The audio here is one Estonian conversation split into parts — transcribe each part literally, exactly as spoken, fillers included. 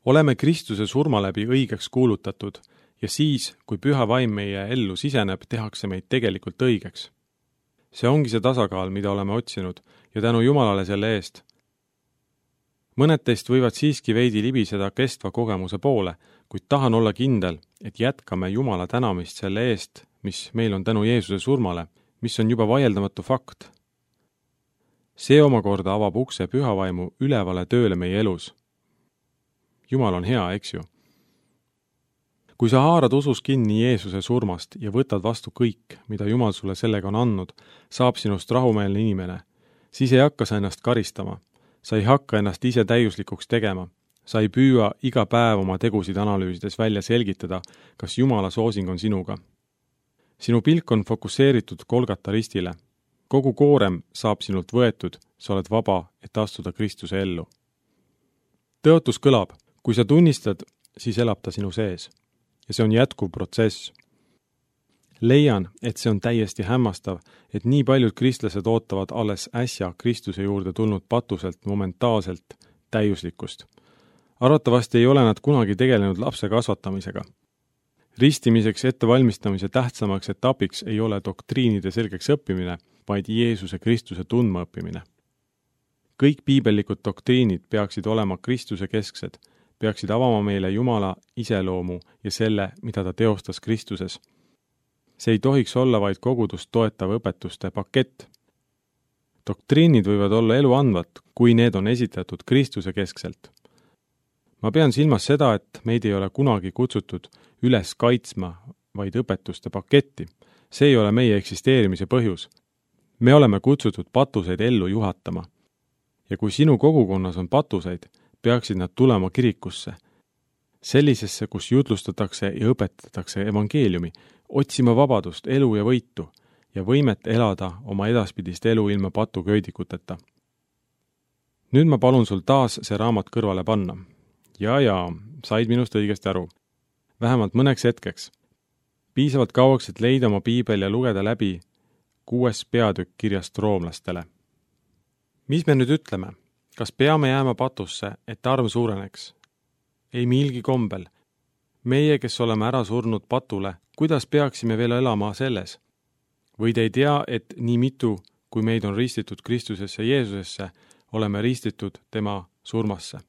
Oleme Kristuse surma läbi õigeks kuulutatud ja siis, kui püha vaim meie ellu siseneb, tehakse meid tegelikult õigeks. See ongi see tasakaal, mida oleme otsinud ja tänu Jumalale selle eest. Mõned teist võivad siiski veidi libiseda kestva kogemuse poole, kuid tahan olla kindel, et jätkame Jumala tänamist selle eest, mis meil on tänu Jeesuse surmale, mis on juba vaieldamatu fakt. See omakorda avab ukse pühavaimu ülevale tööle meie elus. Jumal on hea, eks ju? Kui sa haarad usus kinni Jeesuse surmast ja võtad vastu kõik, mida Jumal sulle sellega on andnud, saab sinust rahumeelne inimene, siis ei hakka sa ennast karistama. Sa ei hakka ennast ise täiuslikuks tegema. Sa ei püüa iga päev oma tegusid analüüsides välja selgitada, kas Jumala soosing on sinuga. Sinu pilk on fokusseeritud Golgata ristile. Kogu koorem saab sinult võetud, sa oled vaba, et astuda Kristuse ellu. Tõotus kõlab, kui sa tunnistad, siis elab ta sinu sees. Ja see on jätkuv protsess. Leian, et see on täiesti hämmastav, et nii paljud kristlased ootavad alles äsja Kristuse juurde tulnud patuselt momentaalselt täiuslikkust. Arvatavasti ei ole nad kunagi tegelenud lapse kasvatamisega. Ristimiseks ettevalmistamise tähtsamaks etapiks ei ole doktriinide selgeks õppimine, vaid Jeesuse Kristuse tundma õppimine. Kõik piibellikud doktriinid peaksid olema Kristuse kesksed, peaksid avama meile Jumala iseloomu ja selle, mida ta teostas Kristuses. See ei tohiks olla vaid kogudust toetav õpetuste pakett. Doktriinid võivad olla elu andvad, kui need on esitatud Kristuse keskselt. Ma pean silmas seda, et meid ei ole kunagi kutsutud üles kaitsma, vaid õpetuste paketti. See ei ole meie eksisteerimise põhjus. Me oleme kutsutud patuseid ellu juhatama. Ja kui sinu kogukonnas on patuseid, peaksid nad tulema kirikusse. Sellisesse, kus jutlustatakse ja õpetatakse evangeeliumi, otsima vabadust, elu ja võitu ja võimet elada oma edaspidist elu ilma patuköödikuteta. Nüüd ma palun sul taas see raamat kõrvale panna. Ja, ja, said minust õigesti aru. Vähemalt mõneks hetkeks. Piisavalt kauaks, et leida oma piibel ja lugeda läbi kuues peatükk kirjast roomlastele. Mis me nüüd ütleme? Kas peame jääma patusse, et arm suureneks? Ei milgi kombel. Meie, kes oleme ära surnud patule, kuidas peaksime veel elama selles? Või te ei tea, et nii mitu, kui meid on ristitud Kristusesse Jeesusesse, oleme ristitud tema surmasse.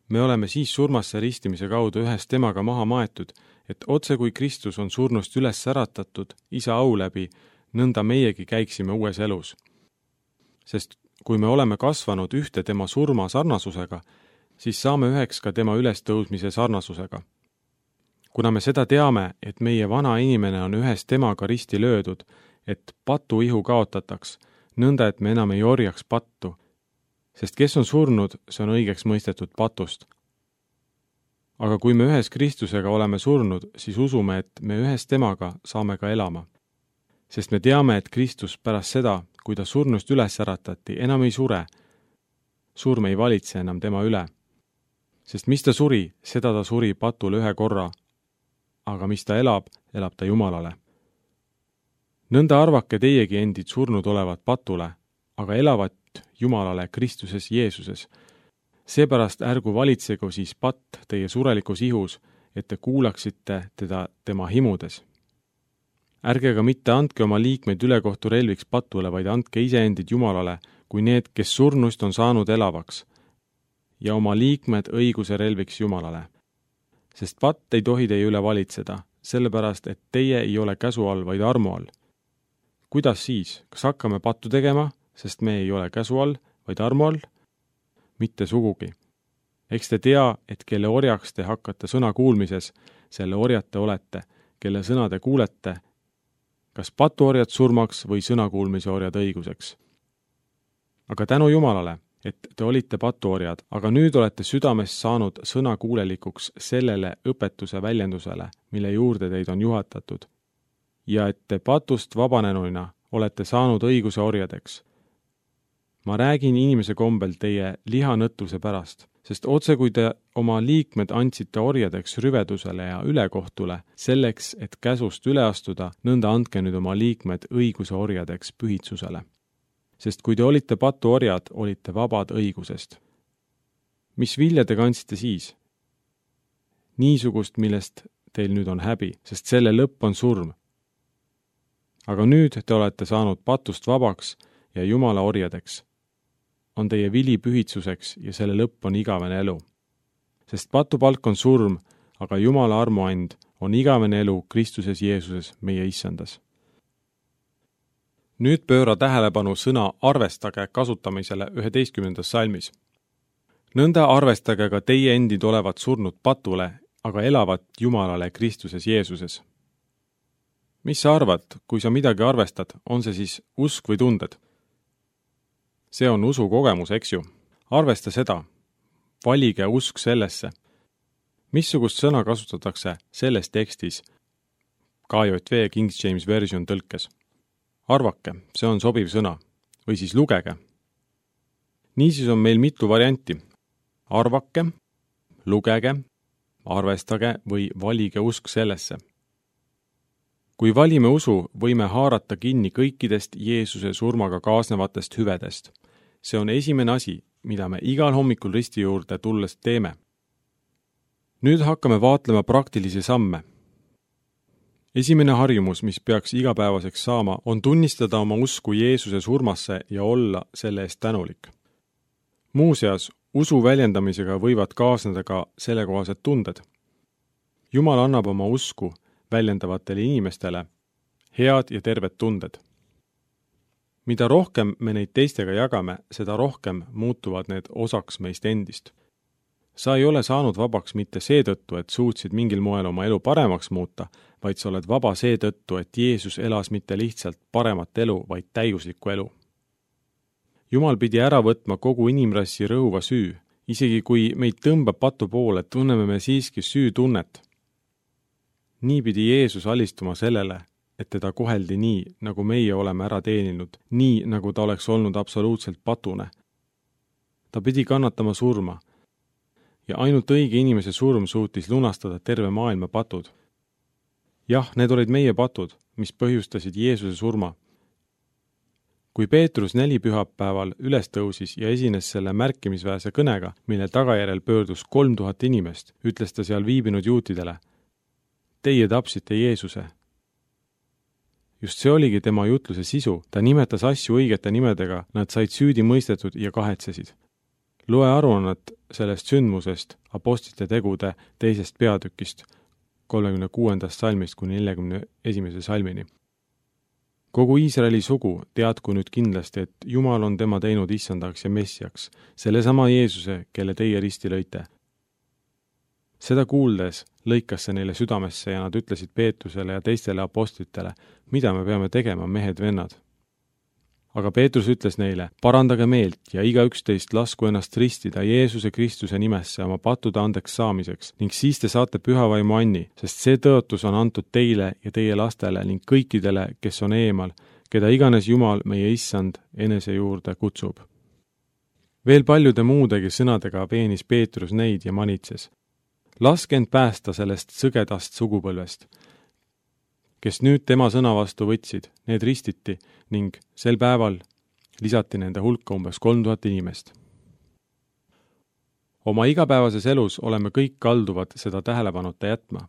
Me oleme siis surmasse ristimise kaudu ühes temaga maha maetud, et otse kui Kristus on surnust üles äratatud isa au läbi, nõnda meiegi käiksime uues elus. Sest kui me oleme kasvanud ühte tema surma sarnasusega, siis saame üheks ka tema ülestõusmise sarnasusega. Kuna me seda teame, et meie vana inimene on ühes temaga risti löödud, et patu ihu kaotataks, nõnda et me enam ei orjaks pattu, sest kes on surnud, see on õigeks mõistetud patust. Aga kui me ühes Kristusega oleme surnud, siis usume, et me ühes temaga saame ka elama. Sest me teame, et Kristus pärast seda, kui ta surnust üles äratati, enam ei sure. Surm ei valitse enam tema üle. Sest mis ta suri, seda ta suri patule ühe korra, aga mis ta elab, elab ta Jumalale. Nõnda arvake teiegi endid surnud olevat patule, aga elavat Jumalale Kristuses Jeesuses. Seepärast ärgu valitsegu siis patt teie surelikus ihus, et te kuulaksite teda tema himudes. Ärge aga mitte andke oma liikmeid ülekohtu relviks patule, vaid andke iseendid Jumalale, kui need, kes surnust on saanud elavaks, ja oma liikmed õiguse relviks Jumalale. Sest patt ei tohi teie üle valitseda, sellepärast, et teie ei ole käsu all, vaid armu all. Kuidas siis? Kas hakkame pattu tegema, sest me ei ole käsu all, vaid armu all? Mitte sugugi. Eks te tea, et kelle orjaks te hakkate sõna kuulmises, selle orjate olete, kelle sõna te kuulete, kas patuorjad surmaks või sõnakuulmise orjad õiguseks. Aga tänu Jumalale, et te olite patuorjad, aga nüüd olete südamest saanud sõnakuulelikuks sellele õpetuse väljendusele, mille juurde teid on juhatatud, ja et te patust vabanenuina olete saanud õiguse orjadeks. Ma räägin inimese kombel teie lihanõtluse pärast, sest otse kui te oma liikmed andsite orjadeks rüvedusele ja ülekohtule, selleks, et käsust üle astuda, nõnda andke nüüd oma liikmed õiguse orjadeks pühitsusele. Sest kui te olite patuorjad, olite vabad õigusest. Mis vilja te kandsite siis? niisugust, millest teil nüüd on häbi, sest selle lõpp on surm. Aga nüüd te olete saanud patust vabaks ja Jumala orjadeks. On teie vili pühitsuseks ja selle lõpp on igavene elu. Sest patupalk on surm, aga Jumala armuand on igavene elu Kristuses Jeesuses meie issandas. Nüüd pööra tähelepanu sõna arvestage kasutamisele üheteistkümnendas salmis. Nõnda arvestage ka teie endid olevat surnud patule, aga elavat Jumalale Kristuses Jeesuses. Mis sa arvad, kui sa midagi arvestad, on see siis usk või tunded? See on usu kogemus, eks ju. Arvesta seda. Valige usk sellesse. Missugust sõna kasutatakse selles tekstis K J V King James Version tõlkes? Arvake, see on sobiv sõna. Või siis lugege. Niisiis on meil mitu varianti. Arvake, lugege, arvestage või valige usk sellesse. Kui valime usu, võime haarata kinni kõikidest Jeesuse surmaga kaasnevatest hüvedest. See on esimene asi, mida me igal hommikul risti juurde tulles teeme. Nüüd hakkame vaatlema praktilisi samme. Esimene harjumus, mis peaks igapäevaseks saama, on tunnistada oma usku Jeesuse surmasse ja olla selle eest tänulik. Muuseas, usu väljendamisega võivad kaasneda ka sellekohased tunded. Jumal annab oma usku väljendavatele inimestele head ja terved tunded. Mida rohkem me neid teistega jagame, seda rohkem muutuvad need osaks meist endist. Sa ei ole saanud vabaks mitte seetõttu, et suutsid mingil moel oma elu paremaks muuta, vaid sa oled vaba seetõttu, et Jeesus elas mitte lihtsalt paremat elu, vaid täiuslikku elu. Jumal pidi ära võtma kogu inimrassi rõhuva süü. Isegi kui meid tõmbab patu poole, tunneme me siiski süütunnet. Nii pidi Jeesus alistuma sellele, et teda koheldi nii, nagu meie oleme ära teeninud, nii, nagu ta oleks olnud absoluutselt patune. Ta pidi kannatama surma ja ainult õige inimese surm suutis lunastada terve maailma patud. Jah, need olid meie patud, mis põhjustasid Jeesuse surma. Kui Peetrus neli pühapäeval üles tõusis ja esines selle märkimisväärse kõnega, mille tagajärjel pöördus kolm tuhat inimest, ütles ta seal viibinud juutidele: Teie tapsite Jeesuse. Just see oligi tema jutluse sisu, ta nimetas asju õigete nimedega, nad said süüdi mõistetud ja kahetsesid. Loe aruannet sellest sündmusest apostlite tegude teisest peatükist, kolmekümne kuuendast salmist kuni neljakümne esimese salmini. Kogu Iisraeli sugu teadku nüüd kindlasti, et Jumal on tema teinud issandaks ja messiaks, sellesama Jeesuse, kelle teie risti lõite. Seda kuuldes lõikas see neile südamesse ja nad ütlesid Peetrusele ja teistele apostlitele, mida me peame tegema, mehed-vennad. Aga Peetrus ütles neile, parandage meelt ja igaüks teist lasku ennast ristida Jeesuse Kristuse nimesse oma pattude andeks saamiseks ning siis te saate pühavaimu anni, sest see tõotus on antud teile ja teie lastele ning kõikidele, kes on eemal, keda iganes Jumal meie issand enese juurde kutsub. Veel paljude muudegi sõnadega veenis Peetrus neid ja manitses. Laske end päästa sellest sõgedast sugupõlvest, kes nüüd tema sõna vastu võtsid, need ristiti ning sel päeval lisati nende hulka umbes kolm tuhat inimest. Oma igapäevases elus oleme kõik kalduvad seda tähelepanuta jätma,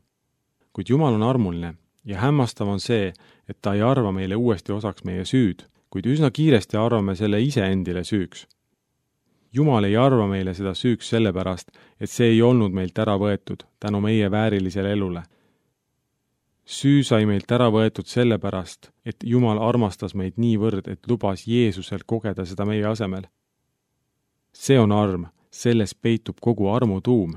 kuid Jumal on armuline ja hämmastav on see, et ta ei arva meile uuesti osaks meie süüd, kuid üsna kiiresti arvame selle ise endile süüks. Jumal ei arva meile seda süüks sellepärast, et see ei olnud meilt ära võetud tänu meie väärilisele elule. Süü sai meilt ära võetud sellepärast, et Jumal armastas meid niivõrd, et lubas Jeesusel kogeda seda meie asemel. See on arm, selles peitub kogu armu tuum.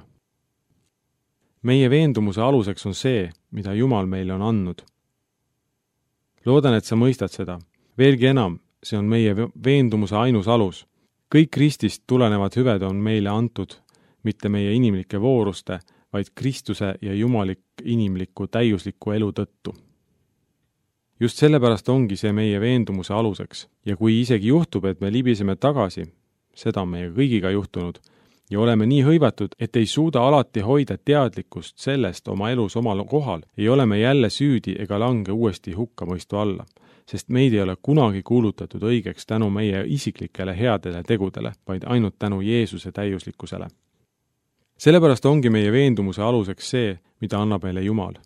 Meie veendumuse aluseks on see, mida Jumal meile on andnud. Loodan, et sa mõistad seda. Veelgi enam, see on meie veendumuse ainus alus. Kõik Kristist tulenevad hüved on meile antud, mitte meie inimlike vooruste, vaid Kristuse ja Jumalik inimliku täiusliku elu tõttu. Just sellepärast ongi see meie veendumuse aluseks ja kui isegi juhtub, et me libiseme tagasi, seda on meie kõigiga juhtunud, ja oleme nii hõivatud, et ei suuda alati hoida teadlikkust sellest oma elus omal kohal, ei ole me jälle süüdi ega lange uuesti hukkamõistu alla, sest meid ei ole kunagi kuulutatud õigeks tänu meie isiklikele headele tegudele, vaid ainult tänu Jeesuse täiuslikkusele. sellepärast ongi meie veendumuse aluseks see, mida annab meile Jumal.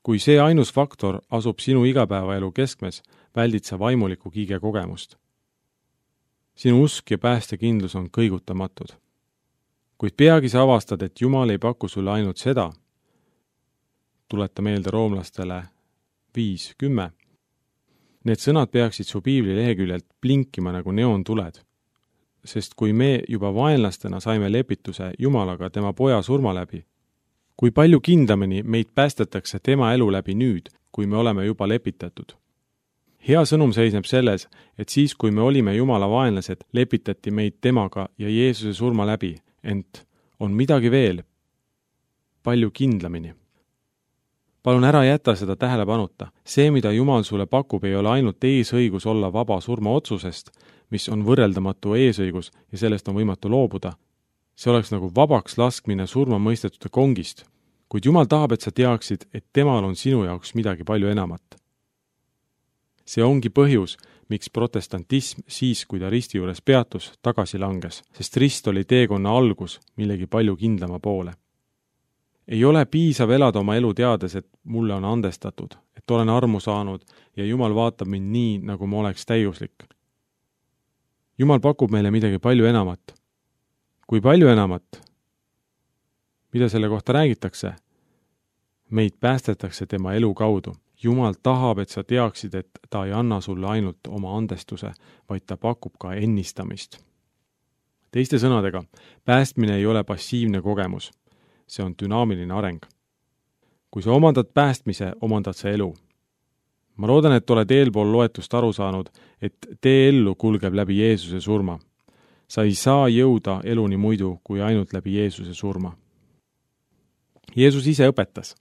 Kui see ainus faktor asub sinu igapäevaelu keskmes, väldid sa vaimuliku kiige kogemust. Sinu usk ja päästekindlus on kõigutamatud. Kuid peagi sa avastad, et Jumal ei paku sulle ainult seda, tuleta meelde roomlastele viis kümme. Need sõnad peaksid su piibli leheküljelt blinkima nagu neoontuled, sest kui me juba vaenlastena saime lepituse Jumalaga tema poja surma läbi, kui palju kindlamini meid päästetakse tema elu läbi nüüd, kui me oleme juba lepitatud. Hea sõnum seisneb selles, et siis, kui me olime Jumala vaenlased, lepitati meid temaga ja Jeesuse surma läbi, ent on midagi veel, palju kindlamini. Palun ära jäta seda tähelepanuta. See, mida Jumal sulle pakub, ei ole ainult eesõigus olla vaba surma otsusest, mis on võrreldamatu eesõigus ja sellest on võimatu loobuda. See oleks nagu vabaks laskmine surma mõistetute kongist, kuid Jumal tahab, et sa teaksid, et temal on sinu jaoks midagi palju enamat. See ongi põhjus, miks protestantism siis, kui ta risti juures peatus, tagasi langes, sest rist oli teekonna algus millegi palju kindlama poole. Ei ole piisav elada oma elu teades, et mulle on andestatud, et olen armu saanud ja Jumal vaatab mind nii, nagu ma oleks täiuslik. Jumal pakub meile midagi palju enamat. Kui palju enamat? Mida selle kohta räägitakse? Meid päästetakse tema elu kaudu. Jumal tahab, et sa teaksid, et ta ei anna sulle ainult oma andestuse, vaid ta pakub ka ennistamist. Teiste sõnadega, päästmine ei ole passiivne kogemus. See on dünaamiline areng. Kui sa omandad päästmise, omandad sa elu. Ma loodan, et oled eelpool loetust aru saanud, et tee ellu kulgeb läbi Jeesuse surma. Sa ei saa jõuda eluni muidu kui ainult läbi Jeesuse surma. Jeesus ise õpetas.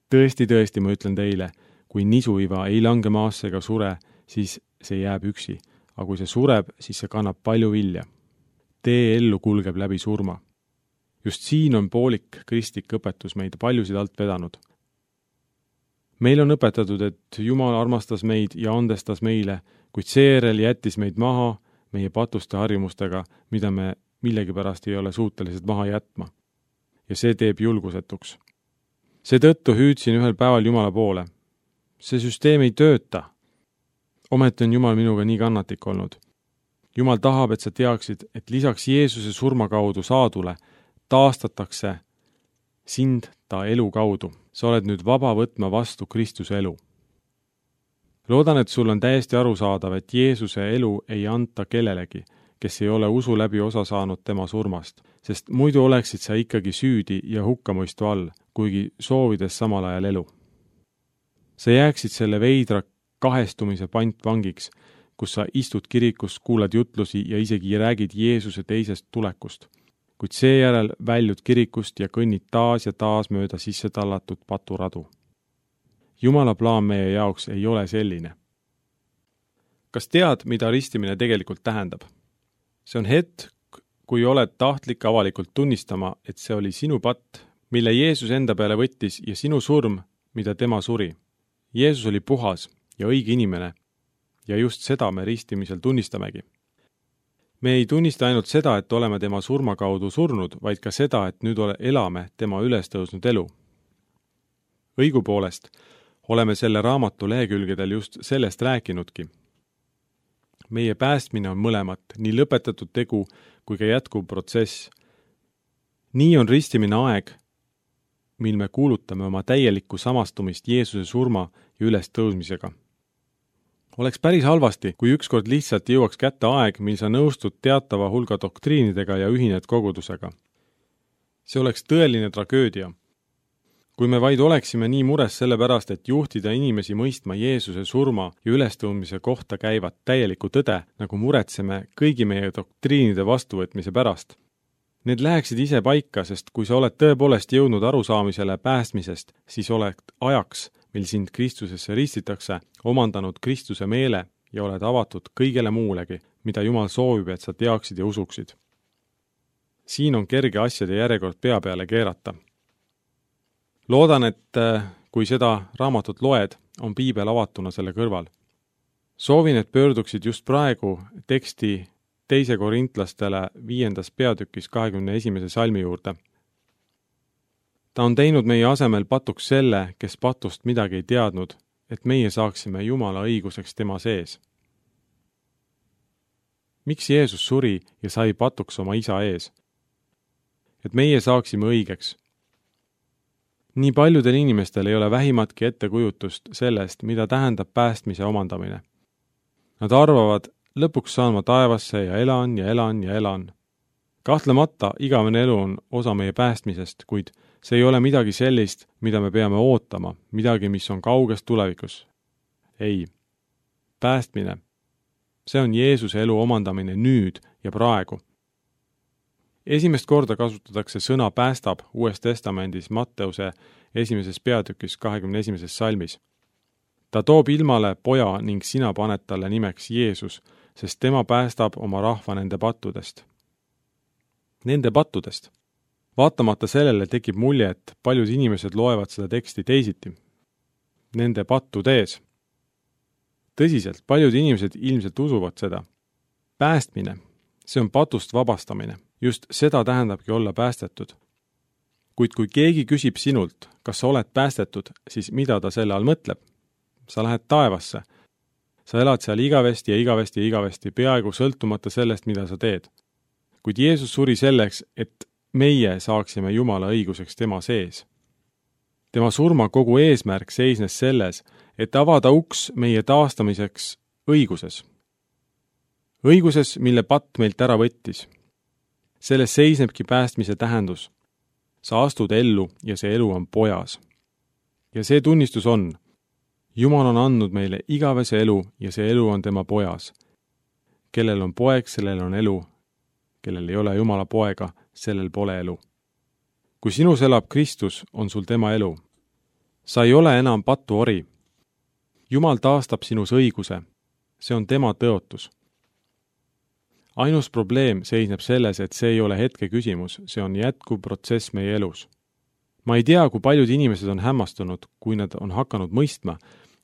Tõesti, tõesti, ma ütlen teile, kui nisuiva ei lange maasse ega sure, siis see jääb üksi, aga kui see sureb, siis see kannab palju vilja. Tee ellu kulgeb läbi surma. Just siin on poolik kristlik õpetus meid paljusid alt vedanud. Meil on õpetatud, et Jumal armastas meid ja andestas meile, kuid seejärel jättis meid maha meie patuste harjumustega, mida me millegipärast ei ole suutelised maha jätma. Ja see teeb julgusetuks. Seetõttu hüüdsin ühel päeval Jumala poole. See süsteem ei tööta. Ometi on Jumal minuga nii kannatlik olnud. Jumal tahab, et sa teaksid, et lisaks Jeesuse surma kaudu saadule taastatakse sind ta elu kaudu. Sa oled nüüd vaba võtma vastu Kristuse elu. Loodan, et sul on täiesti arusaadav, et Jeesuse elu ei anta kellelegi, kes ei ole usu läbi osa saanud tema surmast, sest muidu oleksid sa ikkagi süüdi ja hukkamõistu all, kuigi soovides samal ajal elu. Sa jääksid selle veidra kahestumise pantvangiks, kus sa istud kirikus, kuulad jutlusi ja isegi räägid Jeesuse teisest tulekust, kuid seejärel väljud kirikust ja kõnnid taas ja taas mööda sisse tallatud paturadu. Jumala plaan meie jaoks ei ole selline. Kas tead, mida ristimine tegelikult tähendab? See on hetk, kui oled tahtlik avalikult tunnistama, et see oli sinu patt, mille Jeesus enda peale võttis ja sinu surm, mida tema suri. Jeesus oli puhas ja õige inimene ja just seda me ristimisel tunnistamegi. Me ei tunnista ainult seda, et oleme tema surma kaudu surnud, vaid ka seda, et nüüd ole, elame tema ülestõusnud elu. Õigupoolest oleme selle raamatu lehekülgedel just sellest rääkinudki. Meie päästmine on mõlemat, nii lõpetatud tegu kui ka jätkuv protsess. Nii on ristimine aeg, mil me kuulutame oma täielikku samastumist Jeesuse surma ja ülestõusmisega. Oleks päris halvasti, kui ükskord lihtsalt jõuaks kätte aeg, mil sa nõustud teatava hulga doktriinidega ja ühined kogudusega. See oleks tõeline tragöödia. Kui me vaid oleksime nii mures selle pärast, et juhtida inimesi mõistma Jeesuse surma ja ülestõusmise kohta käivat täielikku tõde, nagu muretseme kõigi meie doktriinide vastuvõtmise pärast. Need läheksid ise paika, sest kui sa oled tõepoolest jõudnud arusaamisele päästmisest, siis oled ajaks, mil sind Kristusesse ristitakse, omandanud Kristuse meele ja oled avatud kõigele muulegi, mida Jumal soovib, et sa teaksid ja usuksid. Siin on kerge asjade järjekord pea peale keerata. Loodan, et kui seda raamatut loed, on piibel avatuna selle kõrval. Soovin, et pöörduksid just praegu teksti teise korintlastele viiendas peatükis kahekümne esimese salmi juurde. Ta on teinud meie asemel patuks selle, kes patust midagi ei teadnud, et meie saaksime Jumala õiguseks tema sees. Miks Jeesus suri ja sai patuks oma isa ees? Et meie saaksime õigeks. Nii paljudel inimestel ei ole vähimatki ettekujutust sellest, mida tähendab päästmise omandamine. Nad arvavad, lõpuks saan ma taevasse ja elan ja elan ja elan. Kahtlemata igavene elu on osa meie päästmisest, kuid see ei ole midagi sellist, mida me peame ootama, midagi, mis on kauges tulevikus. Ei. Päästmine. See on Jeesuse elu omandamine nüüd ja praegu. Esimest korda kasutatakse sõna päästab Uues Testamendis Matteuse esimeses peatükis kahekümne esimeses salmis. Ta toob ilmale poja ning sina paned talle nimeks Jeesus, sest tema päästab oma rahva nende pattudest. Nende pattudest. Vaatamata sellele tekib mulje, et paljud inimesed loevad seda teksti teisiti. Nende pattudes. Tõsiselt, paljud inimesed ilmselt usuvad seda. Päästmine, see on patust vabastamine. Just seda tähendabki olla päästetud. Kuid kui keegi küsib sinult, kas sa oled päästetud, siis mida ta selle all mõtleb? Sa lähed taevasse. Sa elad seal igavesti ja igavesti ja igavesti, peaaegu sõltumata sellest, mida sa teed. Kuid Jeesus suri selleks, et meie saaksime Jumala õiguseks tema sees. Tema surma kogu eesmärk seisnes selles, et avada uks meie taastamiseks õiguses. Õiguses, mille patt meilt ära võttis. Selles seisnebki päästmise tähendus. Sa astud ellu ja see elu on pojas. Ja see tunnistus on, Jumal on andnud meile igavese elu ja see elu on tema pojas. Kellel on poeg, sellel on elu. Kellel ei ole Jumala poega, sellel pole elu. Kui sinus elab Kristus, on sul tema elu. Sa ei ole enam patuori. Jumal taastab sinus õiguse. See on tema tõotus. Ainus probleem seisneb selles, et see ei ole hetke küsimus, see on jätkuv protsess meie elus. Ma ei tea, kui paljud inimesed on hämmastunud, kui nad on hakanud mõistma,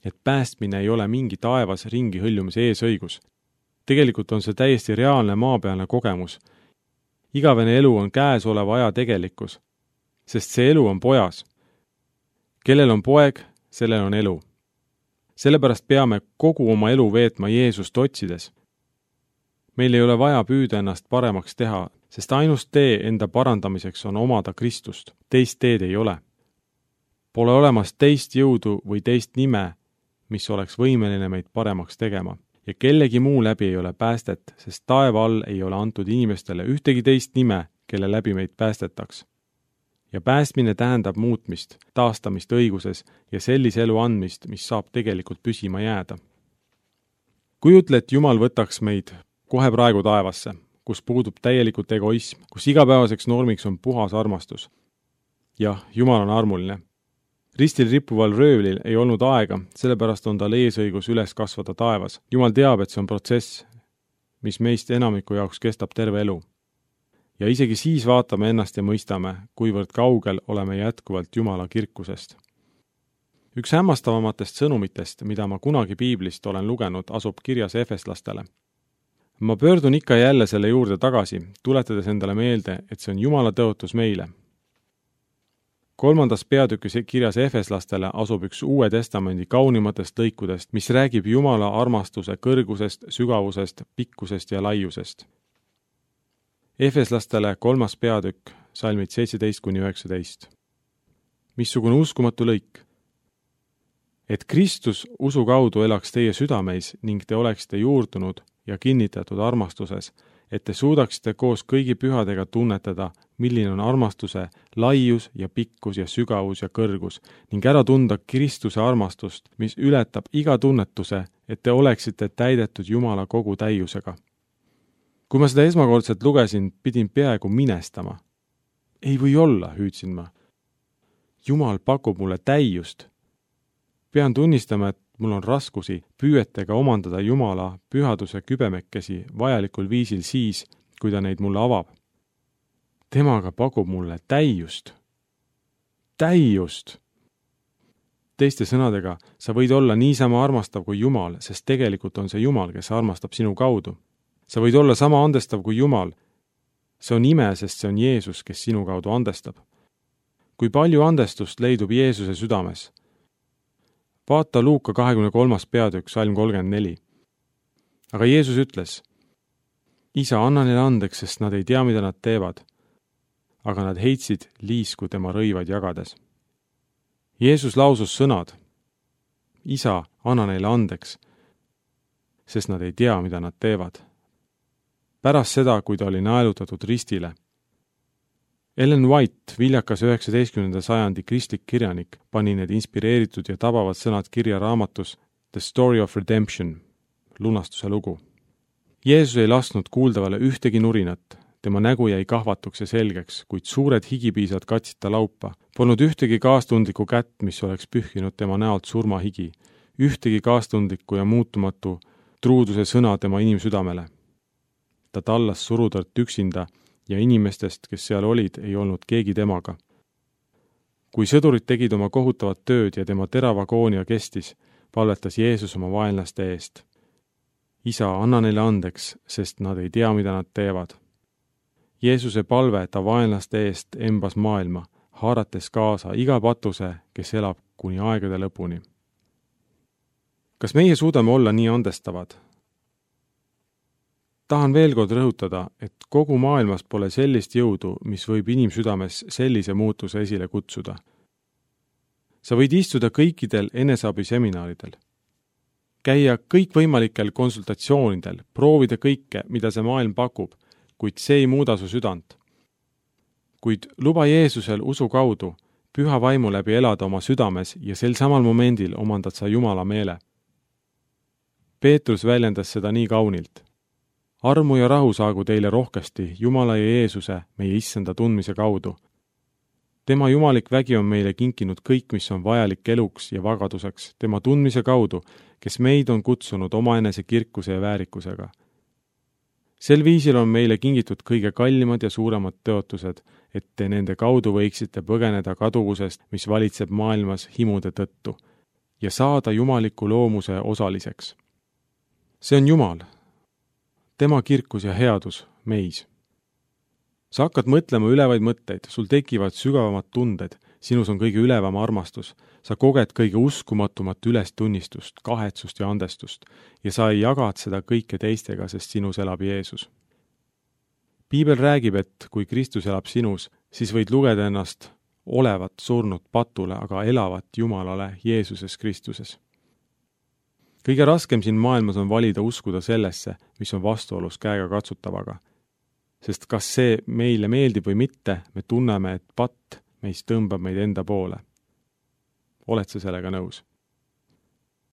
et päästmine ei ole mingi taevas ringi hõljumise eesõigus. Tegelikult on see täiesti reaalne maapealne kogemus. Igavene elu on käesoleva aja tegelikkus, sest see elu on pojas. Kellel on poeg, sellel on elu. Sellepärast peame kogu oma elu veetma Jeesust otsides. Meil ei ole vaja püüda ennast paremaks teha, sest ainus tee enda parandamiseks on omada Kristust. Teist teed ei ole. Pole olemas teist jõudu või teist nime, mis oleks võimeline meid paremaks tegema. Ja kellegi muu läbi ei ole päästet, sest taeva all ei ole antud inimestele ühtegi teist nime, kelle läbi meid päästetaks. Ja päästmine tähendab muutmist, taastamist õiguses ja sellise elu andmist, mis saab tegelikult püsima jääda. Kujutle, et Jumal võtaks meid kohe praegu taevasse, kus puudub täielikult egoism, kus igapäevaseks normiks on puhas armastus. Jah, Jumal on armuline. Ristil rippuval röövlil ei olnud aega, sellepärast on tal eesõigus üles kasvada taevas. Jumal teab, et see on protsess, mis meist enamiku jaoks kestab terve elu. Ja isegi siis vaatame ennast ja mõistame, kuivõrd kaugel oleme jätkuvalt Jumala kirkusest. Üks hämmastavamatest sõnumitest, mida ma kunagi piiblist olen lugenud, asub kirjas efeslastele. Ma pöördun ikka jälle selle juurde tagasi, tuletades endale meelde, et see on Jumala tõotus meile. Kolmandas peatükis kirjas efeslastele asub üks Uue Testamendi kaunimatest lõikudest, mis räägib Jumala armastuse kõrgusest, sügavusest, pikkusest ja laiusest. Efeslastele kolmas peatükk, salmid seitseteist kuni üheksateist. Missugune uskumatu lõik? Et Kristus usu kaudu elaks teie südameis ning te oleksite juurdunud ja kinnitatud armastuses, et te suudaksite koos kõigi pühadega tunnetada, milline on armastuse laius ja pikkus ja sügavus ja kõrgus ning ära tunda Kristuse armastust, mis ületab iga tunnetuse, et te oleksite täidetud Jumala kogu täiusega. Kui ma seda esmakordselt lugesin, pidin peaaegu minestama. Ei või olla, hüüdsin ma. Jumal pakub mulle täiust. Pean tunnistama, et mul on raskusi püüetega omandada Jumala pühaduse kübemekesi vajalikul viisil siis, kui ta neid mulle avab. Temaga pakub mulle täiust. Täiust! Teiste sõnadega, sa võid olla niisama armastav kui Jumal, sest tegelikult on see Jumal, kes armastab sinu kaudu. sa võid olla sama andestav kui Jumal. See on ime, sest see on Jeesus, kes sinu kaudu andestab. Kui palju andestust leidub Jeesuse südames? Vaata Luuka kahekümne kolmas peatükk, salm kolmkümmend neli. Aga Jeesus ütles, Isa, anna neile andeks, sest nad ei tea, mida nad teevad. Aga nad heitsid liisku tema rõivaid jagades. Jeesus lausus sõnad, Isa, anna neile andeks, sest nad ei tea, mida nad teevad. Pärast seda, kui ta oli naelutatud ristile. Ellen White, viljakas üheksateistkümnenda sajandi kristlik kirjanik, pani need inspireeritud ja tabavad sõnad kirja raamatus The Story of Redemption, lunastuse lugu. Jeesus ei lasknud kuuldavale ühtegi nurinat, tema nägu jäi kahvatuks ja selgeks, kuid suured higipiisad katsid ta laupa. Polnud ühtegi kaastundlikku kätt, mis oleks pühkinud tema näolt surmahigi, ühtegi kaastundlikku ja muutumatu truuduse sõna tema inimsüdamele. Ta tallas surutõrt üksinda ja inimestest, kes seal olid, ei olnud keegi temaga. Kui sõdurid tegid oma kohutavat tööd ja tema terava agoonia kestis, palvetas Jeesus oma vaenlaste eest. Isa, anna neile andeks, sest nad ei tea, mida nad teevad. Jeesuse palve ta vaenlaste eest embas maailma, haarates kaasa iga patuse, kes elab kuni aegade lõpuni. Kas meie suudame olla nii andestavad? Tahan veel kord rõhutada, et kogu maailmas pole sellist jõudu, mis võib inimsüdames sellise muutuse esile kutsuda. Sa võid istuda kõikidel eneseabiseminaaridel, käia kõikvõimalikel konsultatsioonidel, proovida kõike, mida see maailm pakub, kuid see ei muuda su südant. Kuid luba Jeesusel usu kaudu, püha vaimu läbi elada oma südames ja sel samal momendil omandad sa Jumala meele. Peetrus väljendas seda nii kaunilt. Armu ja rahu saagu teile rohkesti Jumala ja Jeesuse, meie issanda tundmise kaudu. Tema jumalik vägi on meile kinkinud kõik, mis on vajalik eluks ja vagaduseks, tema tundmise kaudu, kes meid on kutsunud omaenese kirkuse ja väärikusega. Sel viisil on meile kingitud kõige kallimad ja suuremad tõotused, et te nende kaudu võiksite põgeneda kaduvusest, mis valitseb maailmas himude tõttu, ja saada jumaliku loomuse osaliseks. See on Jumal, tema kirkus ja headus meis. Sa hakkad mõtlema ülevaid mõtteid, sul tekivad sügavamad tunded, sinus on kõige ülevam armastus, sa koged kõige uskumatumat ülestunnistust, kahetsust ja andestust ja sa ei jagad seda kõike teistega, sest sinus elab Jeesus. Piibel räägib, et kui Kristus elab sinus, siis võid lugeda ennast olevat surnud patule, aga elavat Jumalale Jeesuses Kristuses. Kõige raskem siin maailmas on valida uskuda sellesse, mis on vastuolus käega katsutavaga. Sest kas see meile meeldib või mitte, me tunneme, et patt meist tõmbab meid enda poole. Oled sa sellega nõus?